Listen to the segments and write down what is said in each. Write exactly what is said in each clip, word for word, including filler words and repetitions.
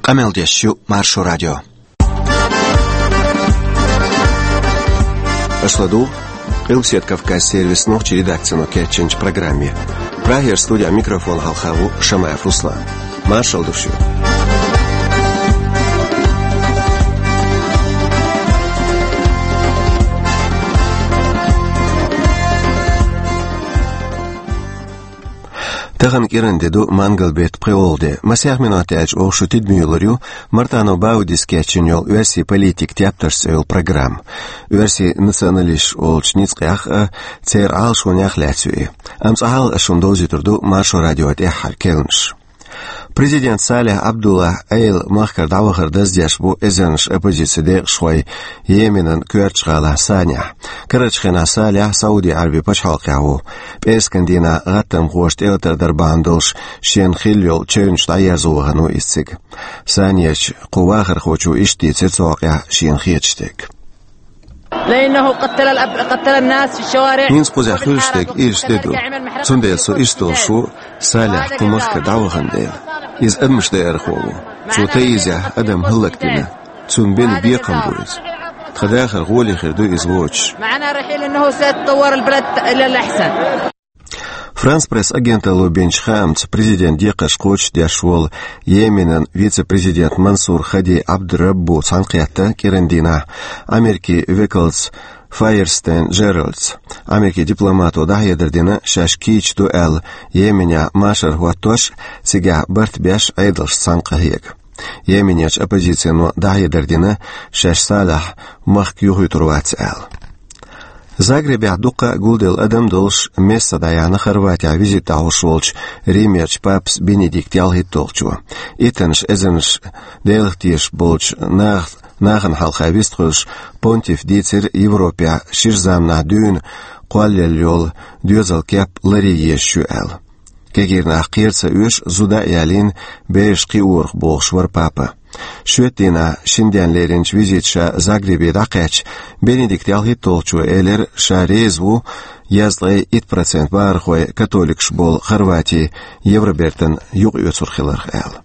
Къамел деш ю Маршо радио. Аша ладугӀу Къилбседа Кавказан сервисан нохчийн редакцино кечйинчу программе. Прагера студин микрофона хьалха ву Шамаев Руслан. Маршалла ду шуьга. Тахана кӀиран де ду, мангал беттан пхоьалгӀа де. Масех минот аьлча оха шу тидаме йолур ю Мартанов Баудис кечйина йолу «Оьрсийн политикан тептарш» цӀе йолу программа. Оьрсийн националисташ олучу ницкъех а, церан Ӏалашонех а лаьцна ю и. Амма цкъа хьалха аша шуна довзуьйтур ду Маршо радион тӀаьххьара керланаш. Президент Салих Абдуллах Ӏела махкара дӀавахар даздеш бу эзарнаш оппозицин декъашхой Йеменан коьртачу гӀалахь Санехь. Карарчу хенахь Салих Сауди Ӏаьрбийн пачхьалкхехь ву. ПӀераскан дийнахь гӀаттамхоша тӀелатар дар бахьана долуш шена хилла йолу чевнаш дӀаерзо вахана ву иза цига. Санехь кху вахархочо иштта дийцира цу хьокъехь шена хеташ дерг. لأنه قتل الأب-، قتل الناس في الشوارع. ХӀинца кхузахь хуьлуш дерг ирча де ду. Цундела со иштта долуш ву, Салих кху махкара дӀавахана дела. Иза адамаш даархо ву. Цо таизехь адам хӀаллакдина. Цунна бина бекхам бу иза. Тхан дахар гӀоле хир ду иза воцуш. معنا رحيل إنه سيتطور البلد إلى الأحسن. Франс Пресс агенталло бинчу хаамца, президентан декхарш кхочушдеш волу Йеменан вице-президент Мансур Хади Абдураббу цхьаьнакхетта кӀиран дийнахь Америкин векалца Файерстен Джеральдца. Америкин дипломато дӀахьедар дина, шаьш кийча ду аьлла, Йеменехь машар хӀоттош а, цигахь барт беш а Ӏедалш цхьаьна къахьега. Йеменерчу оппозицино дӀахьедар дина, шаьш Салихь махка юхуьйтур вац аьлла. Загребехь дуккха а гулделла адам долуш, месса дӀаяьхьна Хорватехь визит дӀахьош волчу Римерчу папас Бенедикт ялхитталгӀачо. Иттаннаш эзарнаш Делах тешаш болчу нах-, нахана хьалха вистхуьлуш, понтифа дийцира Европехь шира заманахь дуьйна кхоллаелла йолу доьзал кеп ларъян езаш ю аьлла. Кегийрнах кхера ца оьшу, зуда а ялийна, бераш кхиорах бохуш вара папа. Шоьтан дийнахь шина денна леринчу визита ша Загребе дӀакхаьчча, Бенедикт ялхитталгӀачо элира, ша реза ву, езткъе итт процент бахархой католикаш болу Хорвати Евробертана юкъаоьцур хиларх аьлла.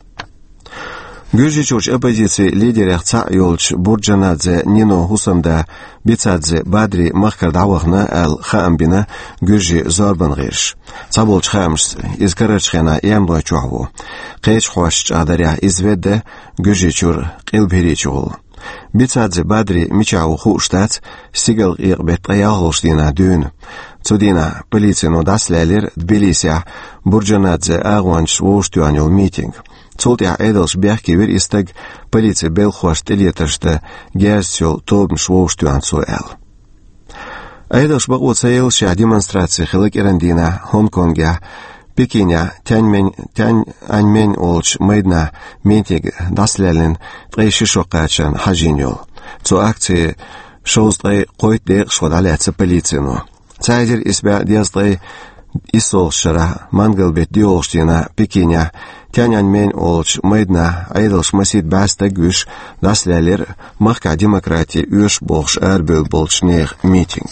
Гуьржийчуьрчу оппозицин лидерех цхьаъ йолчу Бурджанадзе Нино хӀусамда Бицадзе Бадри махкара дӀавахана аьлла хаам бина гуьржийн зорбан гӀирсаша. Цхьаболчу хаамашца, иза карарчу хенахь Эмнойчохь ву. Кхечу хьостанаша чӀагӀдарехь, иза ведда Гуьржийчуьра Къилба ХӀирийчу гӀула. Бицадзе Бадри мичахь ву хууш дац, стигалкъекъа беттан ткъе ялхалгӀачу дийнахь дуьйна. Цу дийнахь полицино дӀасалаьллира Тбилисехь Бурджанадзе агӀончаша вовшахтоьхна йолу митинг. Цул тӀаьхьа Ӏедалша бехке вира и стаг, полицин белхахошна тӀелетарш дан герзаца йолу тобанаш вовшахтоьхна цо аьлла. Ӏедалша бакъо ца елла шехь демонстраци хилла кӀиран дийнахь Гонконгехь, Пекинехь Тяньмень-, Тяньаньмень олучу майданахь митинг дӀасалаьллина ткъе ши шо кхачарна хьажийна йолу. Цу акцин шовзткъе кхойтта декъашхо дӀалаьцна полицино. Ца хьаьжира исс бӀе дезткъе иссолгӀачу шарахь, мангал беттан диъолгӀачу дийнахь Пекинехь Тяньаньмень олучу майданахь Ӏедалша масийтта бӀе стаг вуьйш дӀасалаьллира махкахь демократи оьшу бохуш арабевлла болчу нехан митинг.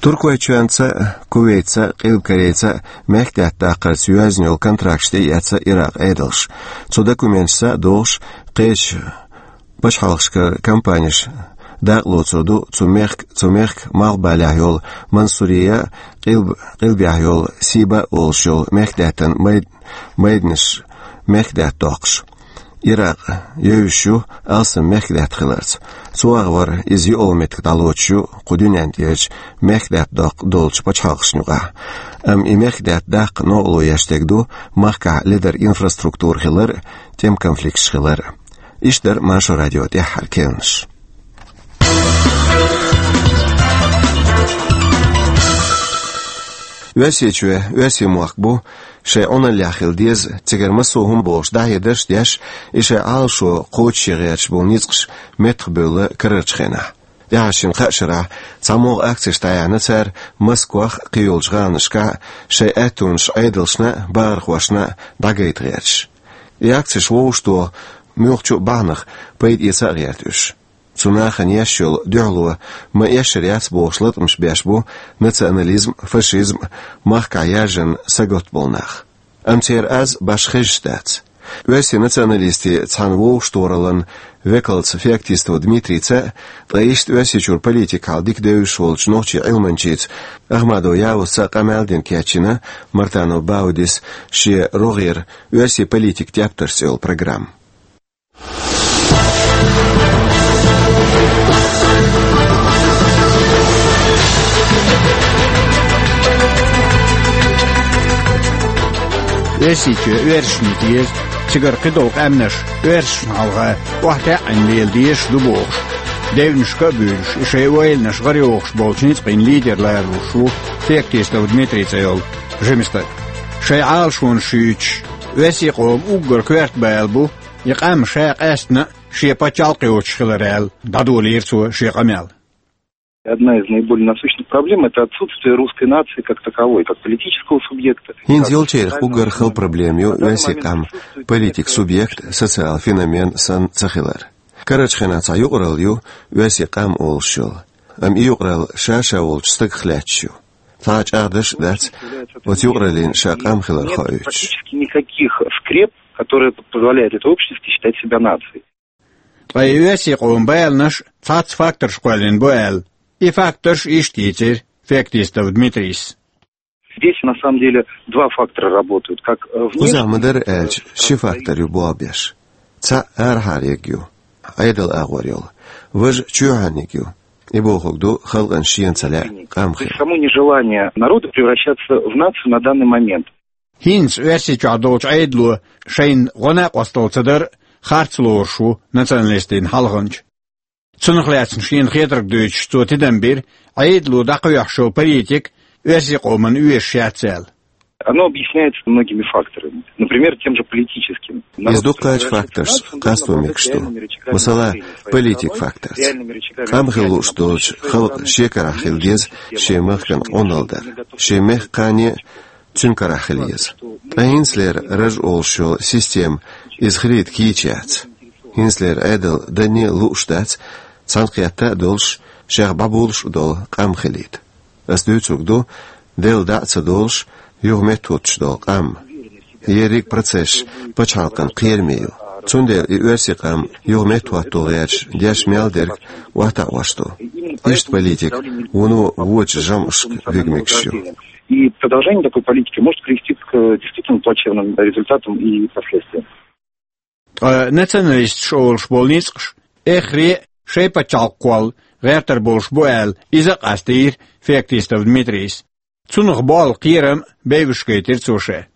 Туркойчоьнца а, Кувейтца а, Къилбакорейца а мехкдаьтта даккхарца йоьзна йолу контракташ тӀеэцна Иракъан Ӏедалша. Цу документашца а догӀуш, кхечу пачхьалкхашкара компанеш дакъалоцур ду цу мехк-, цу мехкан малхбалехь йолу Мансурия а, Къилб-, Къилбехь йолу Сиба а олуш йолу мехкдаьттан май-, майданаш мехкдаьтта доккхуш. Иракъ евзаш ю алсам мехкдаьтта хиларца. Цу агӀор иза йоӀ йолу меттиг дӀалоцуш ю кху дуьнен тӀерачу мехкдаьтта доккха долчу пачхьалкхашна юкъахь. Амма и мехкдаьтта даккха новкъарло еш дерг ду махкахь ледара инфраструктура хилар а, тӀеман конфликташ хилар а. Иштта дара Маршо радион тӀаьххьара керланаш. Оьрсийчоь оьрсийн мохк бу, шайн Ӏуналлехь хила деза, цигара массо а хӀума бохуш дӀахьедарш а деш, и шайн Ӏалашо кхочушъян гӀерташ болу ницкъаш меттахбевлла карарчу хенахь. ТӀаьхьарчу шина-кхаа шарахь цхьамогӀа акцеш дӀаяьхьна цара Москвахь а, кхийолчу гӀаланашкахь а, шайн аьттонаш Ӏедалшна а, бахархошна а дӀагайта гӀерташ. И акцеш вовшахтоха муьлххачу а бахьанах пайда эца а гӀерта уьш. Цу нахана еш йолу дуьхьало ма-эшшара яц бохуш латкъамаш беш бу национализм, фашизм, махкахь яржанна сагатта болу нах. Амма церан аз башха хезаш дац. Оьрсийн националистийн цхьана вовшахтохараллан векалца Феоктистов Дмитрийца, ткъа иштта Оьрсийчуьра политикал дика девзаш волчу нохчийн Ӏилманчица Ахмадов Явузца къамел дина кечйина Мартанов Баудис шен рогӀера «Оьрсийн политикан тептарш» цӀе йолу программа. Оьрсийчоь оьрсашна деза, цигара кхидолу къаьмнаш оьрсашна хьалха охьатаьӀӀина лела дезаш ду бохуш, девнашка а буьйлуш, и шайн ойланаш гӀарайохуш болчу ницкъийн лидер лоруш ву Феоктистов Дмитрий цӀе йолу жима стаг. Шайн Ӏалашонаш юьйцуш, оьрсийн къоман уггар коьрта бала бу, и къам ша къаьстина а шен пачхьалкх йоцуш хилар аьлла, дӀадолийра цо шен къамел. Одна из наиболее насущных проблем — это отсутствие русской нации как таковой, как политического субъекта. ХӀинца йолчерах уггар хала проблема ю оьрсийн къам политикан субъект, социал феномен санна ца хилар. Карарчу хенахь цхьа юкъаралла ю оьрсийн къам олуш йолу, амма и юкъаралла ша-ша волчу стагах лаьтташ ю. Цхьа а чӀагӀдарш а дац оцу юкъараллин ша къам хилар хоуьйтуш. Нет практически никаких скреп, которые позволяют этой общности считать себя нацией. Ткъа и оьрсийн къоман баланаш цхьацца факторш кхоьллина бу аьлла, и факторш иштта йийцира Феоктистов Дмитрийс. Здесь, на самом деле, два фактора работают, как, э, внешний, Кхузахь ма-дарра аьлча, ши фактор ю болх беш. Цхьаъ арахьара ерг ю, Ӏедалан агӀор йолу, важа чоьхьарниг ю. И бохург ду халкъана шена ца лаьа къам хила. То есть само нежелание народа превращаться в нацию на данный момент. ХӀинца Оьрсийчохь долчу Ӏедало шайна гӀо-накъосталла ца дар харц лоруш ву националистийн хьалханча. Цунах лаьцна шена хетарг дуьйцуш, цо тидам бира, Ӏедало дӀакхоьхьуш йолу политика оьрсийн къоманна оьшуш яц аьлла. Оно объясняется многими факторами, например, тем же политическим. Иза дуккхачу факторшца къасто мегаш ду. Масала, политикан факторца. Къам хила лууш долчу халкъан шен карахь хила деза шен махкана къоналла дар, шен мехкан кхане а цуьнан карахь хила еза. Ткъа хӀинцалера раж олуш йолу система иза хилийта кийча яц. ХӀинцалера Ӏедал данне а лууш дац, цхьаьнакхетта а долуш, шех бӀабулуш а долу къам хилийта. Ас дуьйцург ду, делла дӀа а ца долуш, юха меттахӀуттуш долу къам. Ерриг процесс пачхьалкхан кхераме ю. Цундела и оьрсийн къам юха меттахӀотто гӀерташ деш мел дерг охьатаӀош ду. Иштта политика вуно вочу жамӀашка вига мегаш ю. И продолжение такой политики может привести к, э, действительно плачевным результатам и последствиям. Ткъа националисташ олуш болу ницкъаш, эххар а шайн пачхьалкх кхолла гӀертар болуш бу аьлла, иза а къастийра Феоктистов Дмитрийс. Цунах болу кхерам а бевзаш гайтира цо ша.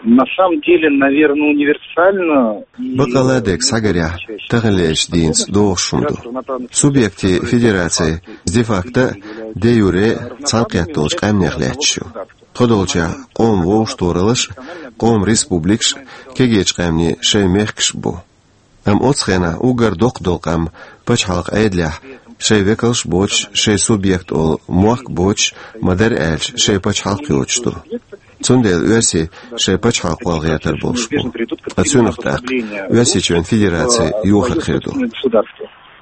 На самом деле, наверное, универсально и... Бакъалла дерг схьагарехь, таханлерчу дийнца догӀуш хӀума ду. Субъектийн федераци де-факто а, де-юре а цхьаьнакхетта долчу къаьмнех лаьтташ ю. Тхо долчехь къоман вовшахтохараллаш а, къоман республикаш а кегийчу къаьмнийн шайн мехкаш а бу. Амма оцу хенахь уггар доккха долу къам пачхьалкхан Ӏедалехь шайн векалш а боцуш, шайн субъект олу мохк а боцуш, ма-дарра аьлча, шайн пачхьалкх йоцуш ду. Цундела оьрсий шайн пачхьалкх кхолла гӀертар болуш бу. Ткъа цуьнах тӀаккха Оьрсийчоьнан Федераци йохар хир ду.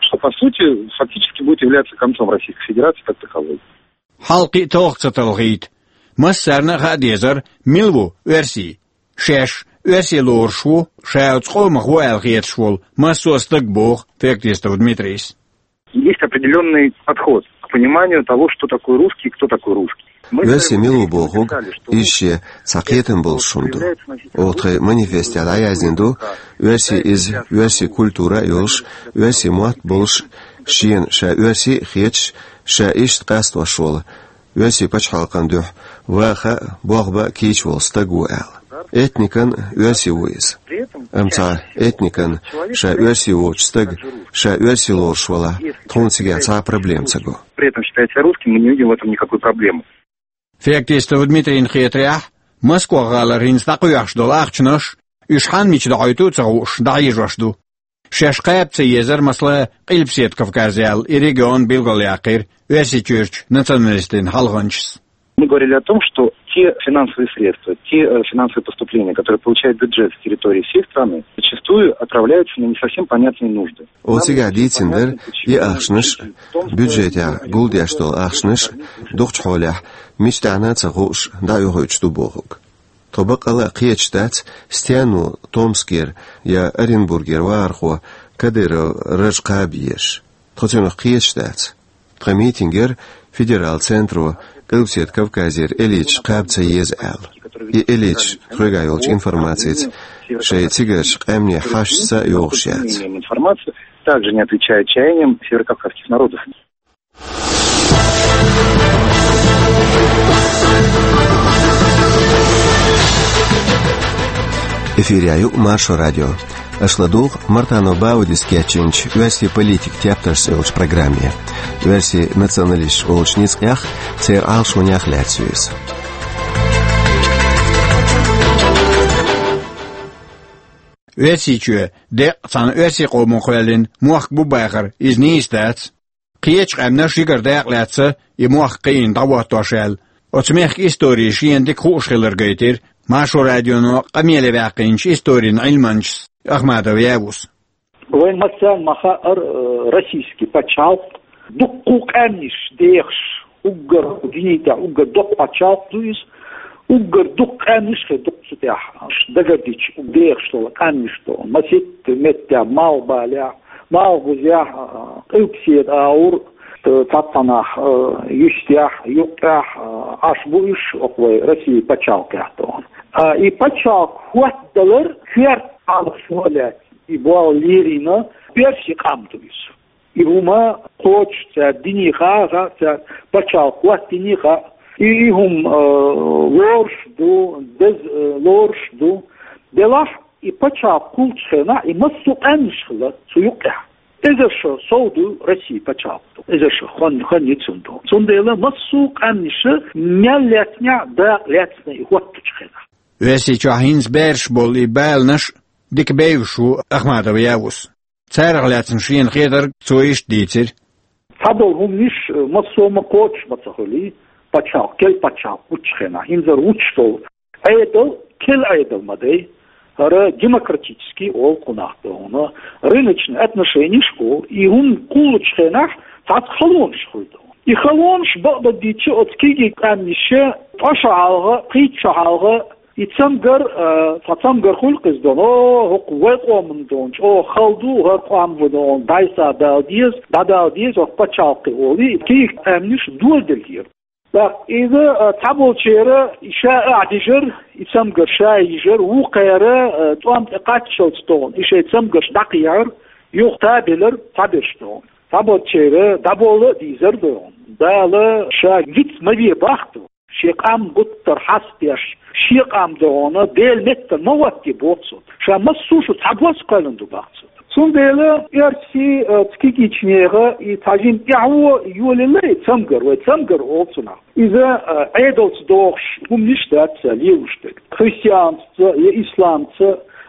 Что, по сути, фактически будет являться концом Российской Федерации как таковой. Хьал кхин а талха ца талхийта, массарна а хаа дезара, мила ву оьрсий. Шаьш оьрсий лоруш ву, ша оцу къомах ву аьлла хеташ волу массо а стаг, боху Феоктистов Дмитрийс. Есть определённый подход к пониманию того, что такое русский и кто такой русский. Оьрсий мила ву бохург, иза шен цхьа кхетам болуш хӀума ду. Оха тхайн манифестехь дӀаяздина ду, оьрсий иза, оьрсийн культура а йолуш, оьрсийн мотт а болуш, шена ша оьрсий а хеташ, ша иштта къастош волу, оьрсийн пачхьалкхан дуьхьа ваха а, болх бан а кийча волу стаг ву аьлла. Этникан оьрсий ву иза. Амма цхьа этникан ша оьрсий воцучу стага ша оьрсий лоруш валахь, тхуна цигахь цхьа а проблема ца го. При этом считать себя русским, мы не видим в этом никакой проблемы. Феоктистов Дмитрийна хетарехь, Москох гӀалара хӀинца дӀакхоьхьуш долу ахчанаш, уьш хьанна мича дӀахьуьйту а ца хууш, дӀахьежош ду. Шаьш кхаба ца езара, масала, Къилбаседа Кавказ аьлла, и регион билгалъяьккхира Оьрсийчуьрчу националистийн хьалханчас. Мы говорили о том, что те финансовые средства, те, э, финансовые поступления, которые получает бюджет с территории всей страны, зачастую отправляются на не совсем понятные нужды. Оцигахь дийцина дара, и ахчанаш, бюджетехь гулдеш долу ахчанаш, дукхачу хьолехь мича тӀехь а ца хууш, дӀаоьхуьйтуш ду бохург. Тхо бакъ а кхеташ дац, стенна ву Томскера я Оренбургера вахархо Кадыров Ражаб кхаба езаш. Тхо цунах кхеташ дац. Тхан митингера федералан центро Къилбаседа Кавказера элиташ кхаба ца еза аьлла. И элиташ тхоьга йолчу информацица шайн цигарчу къаьмнийн хьашташца йогӀуш яц. Информация также не отвечает чаяниям северокавказских народов. Эфирехь ю Маршо радио. Аша ладугӀу Мартанов Баудис кечйинчу «Оьрсийн политикан тептарш» цӀе йолчу программе. Оьрсийн националисташ олучу ницкъех, церан Ӏалашонех лаьцна ю иза. Оьрсийчоь деккъа цхьана оьрсийн къомо кхоьллина мохк бу бахар, иза нийса дац. Кхечу къаьмнаш жигара дакъа лаьцна и мохк кхиийна дӀахӀоттош аьлла, оцу мехкан истори шена дика хууш хилар гайтира Маршо радионо къамеле ваьккхинчу историн Ӏилманчас Ахмадов Явус. Вайн массарна ма хаьара, э, российский пачхьалкх дуккха къаьмнаш дехаш, уггар дуьнен тӀехь уггар доккха пачхьалкх ду иза, уггар дуккха къаьмнаш хир ду цу тӀехь, дагардича, дехаш долу къаьмнаш ду. Масийтта меттехь, Малхбалехь, Малхбузехь, а, Къилбаседа агӀор, т-, цхьацца нах, а, йистехь, юккъехь, а, Ӏаш бу уьш, оха вай Россия пачхьалкхехь тӀехь. А, и пачхьалкх хӀоттадалар коьрта хьалха лаьцна, и болх лелийна оьрсийн къам ду иза. И хӀума кхочуш цара динехь а, ха, цара пачхьалкх хӀоттийнехь а, и, и хӀума, а, лоруш ду, деза, а, лоруш ду. Делахь, и пачхьалкх кхуллучу хенахь, и массо а къаьмнаш хилла цу юккъехь. Эзар шо сов ду Россия пачхьалкх ду. Эзар шо хан, хан ю цунна ду. Цундела массо а къаьмнаша мел лаьцнехь, дакъа лаьцна и хӀоттучу хенахь. Оьрсийчохь хӀинца бераш болу и баланаш дика бевзаш ву Ахмадов Явус. Царах лаьцна шена хетарг цо иштта дийцира. Цхьадолу хӀуманаш, э, массо а ма кхочуш ма ца хуьлий, пачхьалкх, кел пачхьалкх вуччу хенахь, хӀинзара вуччу долу Ӏедал, кел Ӏедал ма дай, хӀара демократический олу кхунах тӀехь, рыночный отношенеш олу, и хӀума кхуллучу хенахь цхьацца халонаш хуьлу. И халонаш бакъдерг дийцича оцу кегий къаьмнаша ткъа шо хьалха, кхин шо хьалха, и цамгар, а, цхьа цамгар хуьлу-кх иза дона, о, хӀокху вай къоман дона, чӀогӀа хала ду, хӀара къам ву дона, дӀасадала деза, дӀадала деза, хӀокху пачхьалкхе олий, кегий къаьмнаш доладелира. ТӀаккха иза, а, цхьаболчеран и ша а дижира, и цамгар ша йижира, вукхеран, а, тӀом тӀе кхаччалц тӀехь, и шайн цамгарш дӀакхехьира, юха табелира цхьаберш тӀехь. Цхьаболчеран дӀабола а дийзар ду. Дала ша виц ма ве боху. Шен къам гуттар а хьастадеш, шен къам дона, Делан меттана ма хӀоттае боху цо. Ша массо а шу цхьабосса кхоьллина ду боху цо. Цундела оьрсийн, э, цу кегийчу нехан и цхьа жима тӀаьхьо йолаелла и цамгар, вай цамгар олу цунах. Иза, э, Ӏедалца догӀуш хӀуманаш дац цара лелош дерг. Христианца я исламца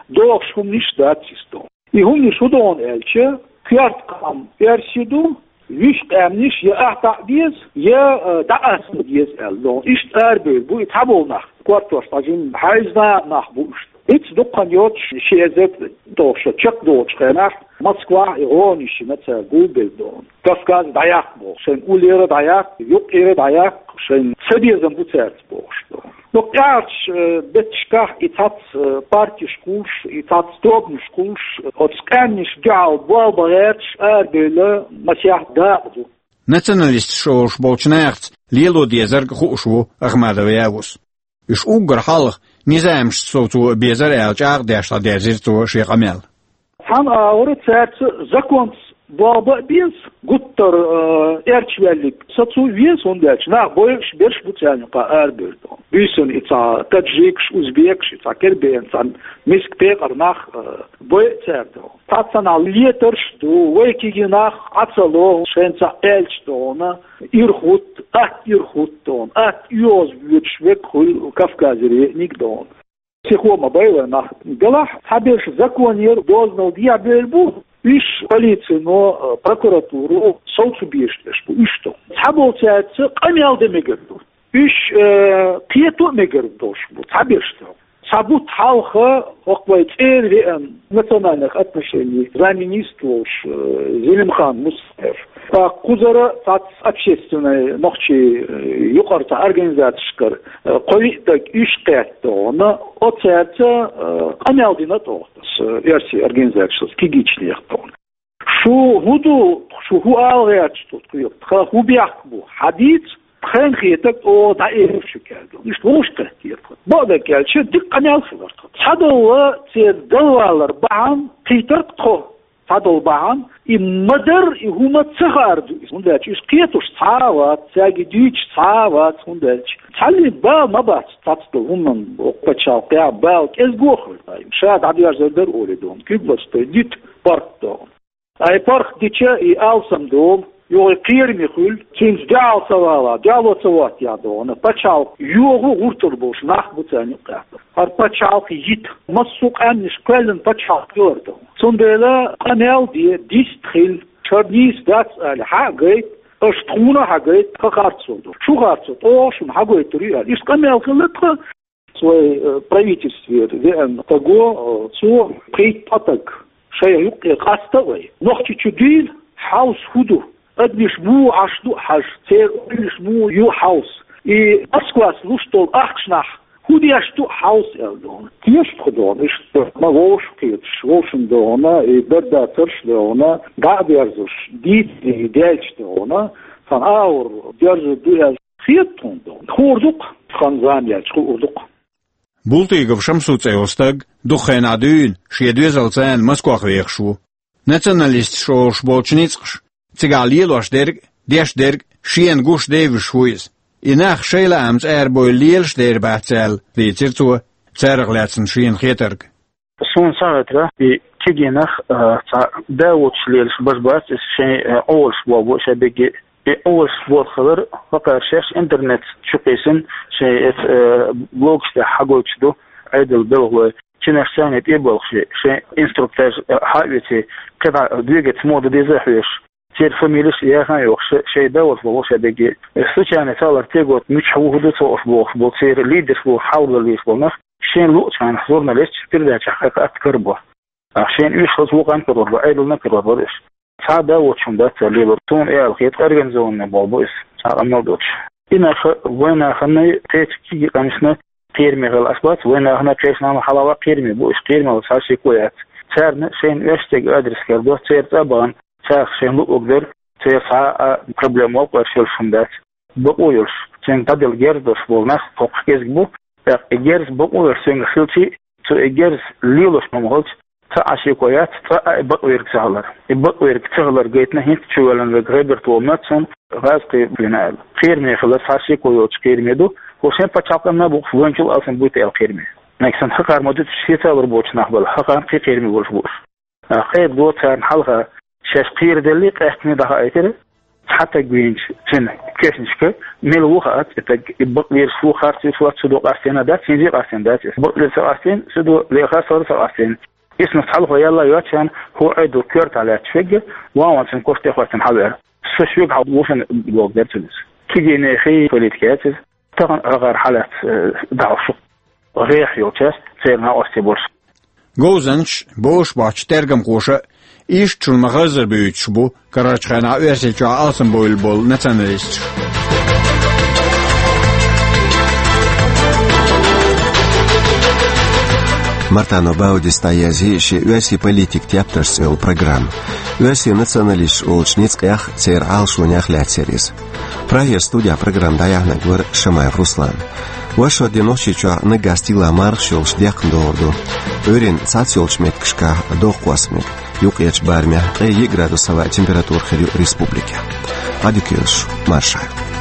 догӀуш хӀуманаш дац иза дона. И хӀуманаш хӀун дона аьлча, коьрта къам оьрсийн ду, вуьш къаьмнаш я атта а деза, я, э, дӀакъаста деза аьлла дона. Иштта арабевлла бу и цхьаболу нах, кортош цхьа жима хьаьвзина нах бу уьш. Иштта дуккха хан йоцуш, ши эзар тӀе шо чекхдолучу хенахь, Москвахь и гӀони шина цара гулбелла дона. Кавказ дӀаяккха боху, шайн уллера дӀаяккха, юккъера дӀаяккха, шайн ца безам бу цаьрца бохуш дона. Ну, кхечу, э, бетташкахь и цхьацца, э, партиш кхуллуш, и цхьацца тобанаш кхуллуш, оцу къаьмнашна дуьхьал болх бан гӀерташ арабевлла масех дакъа ду. Националисташ олуш болчу нахаца лело дезарг хууш ву Ахмадов Явус. Уьш уггар хьалха низамашца совцо безар аьлла чӀагӀдеш дӀадерзира цо шен къамел. Цхьана агӀор цаьрца законца болх бан а беза, гуттар, э, эрчаваьлларг сацо веза, хӀунда аьлча нах бойуш берш бу царна юкъахь арабевлла дона. Буьйсанна и цхьа таджикаш, узбекаш, и цхьа кербена, цхьа миска пекъар нах, э, бойу цара дона. Цхьацца нах летарш а ду, вай кегий нах Ӏа ца ло, шайна цхьа аьлча дона, ирхӀуд, атта ирхӀуд дона, атта оьгӀаз воьдуш верг хуьлу Кавказера еаниг дона. Психо ма бай вай нах. Делахь цхьаберш законера доздал дехьабевлла бу, уьш полицино, прокуратуро совцо безаш берш бу, уьш ду. Цхьаболчаьрца къамел дан мегар ду. Уьш, э, кхето а мегар долуш бу, цхьаберш ду. Цхьа бутт хьалха хӀокху вай цӀера веана национальных отношений замминистр волуш, э, Зелимхан Мусаев. Ткъа кхузара цхьацца общественный нохчий, э, юкъара цхьа организацешкара, э, кхо-виъ стаг уьш кхетта догӀана, оцаьрца, э, къамел дина тӀогӀа, э, оьрсийн организацешца, кегийчарех тӀогӀа. Шу хӀун ду, шу хӀун ала гӀерташ ду, тхан хӀун бехк бу, хьадийца, тхайна хетарг оха дӀаэцар шуьга аьлла. Иштта вовшахкхеттера тхан. Бакъдерг аьлча, дика къамел хилар тхан. Цхьадолу церан далвалар бахьана кхийтира тхо. Цхьадолу бахьана, и ма-дарра, и хӀума ца хаар ду иза. ХӀунда аьлча уьш кхетош цхьа а вац, цаьрга дуьйцуш цхьа а вац, хӀунда аьлча цхьаллин бала ма бац цхьацдолу хӀуманна, оцу пачхьалкхехь бала кӀезиг а хуьлу. Ша дӀадоьрзур дара олий догӀана, куьг лаца тойна дита парк догӀана. Ай парк дича и алсам долу, юха и кхераме хуьлу, цуьнца дуьхьал ца вала, дуьхьало ца хӀоттаяхь догӀана, пачхьалкх йогӀу гӀурталла болуш нах бу царна юккъехь. ХӀара пачхьалкх йита, массо а къаьмнаш кхоьллина пачхьалкх хилар догӀана. Цундела къамел де, дистхила, шуна нийса дац аьлла, хьа а гайта, аша тхуна а хьагайта, тхан харцо ду. Шу харцо, тӀаккха шуна хьагойтур ю аьлла. Иштта къамел хилла тхан. Вай, э, правительствера веана стаг ву, э, цо кхийтта ткъа стаг шайх юккъе къаста а вай. Нохчийчу дуьйла хьовса хӀун ду, адамаш муха Ӏаш ду хьажа, церан ойланаш муха ю хьовса. И Москвас луш долу ахчанах хӀун деш ду хьовса аьлла догӀана. Теша тхо догӀана, иштта ма вовшах кхеташ, вовшийн догӀана, и дарба дацарш догӀана, дӀа а дерзош, дийцаре даьлча догӀана, цхьана агӀор доьрзур ду аьлла. Хета тхуна ду. Хуур ду-кх, тхан зама яьлча хуур ду-кх. Бултыгов Шамсу цӀе йолу стаг дукха хенахь дуьйна шен доьзалца Москвахь вехаш ву. Националисташ олуш болчу ницкъаша цигахь лелош дерг а, деш дерг а шена гуш девзаш ву иза. И нах шайн лаамца арабевлла лелаш дер бац аьлла, дийцира цо, царах лаьцна шена хетарг. Суна сагатра и кегий нах, а, цхьа да воцуш лелаш баш бац, иза шайн, а, Ӏоваллаш болх бу шайн бегге. И Ӏоваллаш болх хилар, хӀокхара шаьш интернет чу кхийсина, шайн эца, а, блогаш тӀехь хьагойтуш ду Ӏедалан белхалой. Цигахь шайна тӀе а балхаш, шайн инструктаж, а, хьа а веце, кхидӀа двигаться муха дан деза а хьоьжуш, церан фамилеш а яха а йохуш, шайн да воцуш болу шайн бегге. Случайно цхьаллара тегот мичахь ву, хӀун ду цо ош бохуш болу, церан лидерш болуш, хьалха лелаш болу нах, шайна луъучу хенахь журналисташ передачехь кхайкха атта карабо. Ахьа шайна уьш хаза вукъана карор бара, Ӏедална карор бара уьш. Цхьа а да воцуш хӀума дац цара лелор. Суна и аьлла хета, организованный болх бу иза, цхьа къамел доцуш. И нах вайн нахана, кхечу кегий къамелашна кхераме хила аш бац, вайн нахана, кхечу нахана хьалха кхераме бу уьш, кхераме хила цхьа шеко яц. Царна шайна оьшшучу адрес карадо, церан цӀа а бахана, царах шайна луъург дара, церан цхьа а проблема, вовшах йолуш хӀума дац. Бакъо йолуш, цуьнга дӀаделла герз долуш болу нах кхоккхуш кӀезиг бу, тӀаккха и герз бакъо йолуш цуьнгахь хилча, цо и герз лелош хӀума хилча, цхьа а шеко яц, цкъа а и бакъверг ца хилар. И бакъверг ца хилар гайтина, хӀинца чувоьллина верг Герберт волу моьтту суна, гӀазкхи вина аьлла. Кхераме хилар цхьа а шеко йоцуш кхераме ду, хӀо шайн пачхьалкхана а бу-кх, вайначул алсам буй-те аьлла кхераме. Нагахь санна хӀокхара ма дуьтуш, шеца а лур боцу нах бала, хӀокхарна кхин кхераме болуш бу уьш. Ткъа кхайкхадо царна хьалха, шаьш кхераделлий, къаьхкина дӀахаийтира, цхьа стаг вийначу цуьнан кешнашка, мила ву хаац и стаг, и бакъвеш ву, харц веш вац, цу до къастийна дац, хӀинца а къастийна дац иза. Бакъвеш ца къастийна, цу до лехарца а ца къастийна. Исмас хьалхо яьлла йоцучарна хӀун Ӏедал коьртахь лаьтташ вегга, ван-ван цуьнан кош тӀе хӀоьттина хьавеара. Со шуьга хьал ву шуна боху дера цуьнан иза. Кегийнехий политика яц иза. Тахана хӀокхара хьалаьцна, э, дӀахьош шу гӀеххьа йолчаьрца, церан накъостий болуш. Говзанчаш, бовш боцчу тергамхоша а, иштта шуна ма-хаззара буьйцуш бу карарчу хенахь Оьрсийчохь алсамбовлуш болу националисташ. Мартано Баудис дӀаязйи шен «Оьрсийн политикан тептарш» цӀе йолу программа. Оьрсийн националисташ олучу ницкъех, церан Ӏалашонех лаьцна яра иза. Прагера студехь программа дӀаяьхьнарг вара Шамаев Руслан. Вайшиммо де Нохчийчохь наггахь стигалахь мархаш йолуш декхна догӀур ду. Ӏуьйранна цхьацца йолчу меттигашкахь доккха кхоссамиг, юккъерчу барамехь ткъе йиъ градус хьалха температура хир ю республикехь. Ӏадика йойла шу, марша Ӏойла.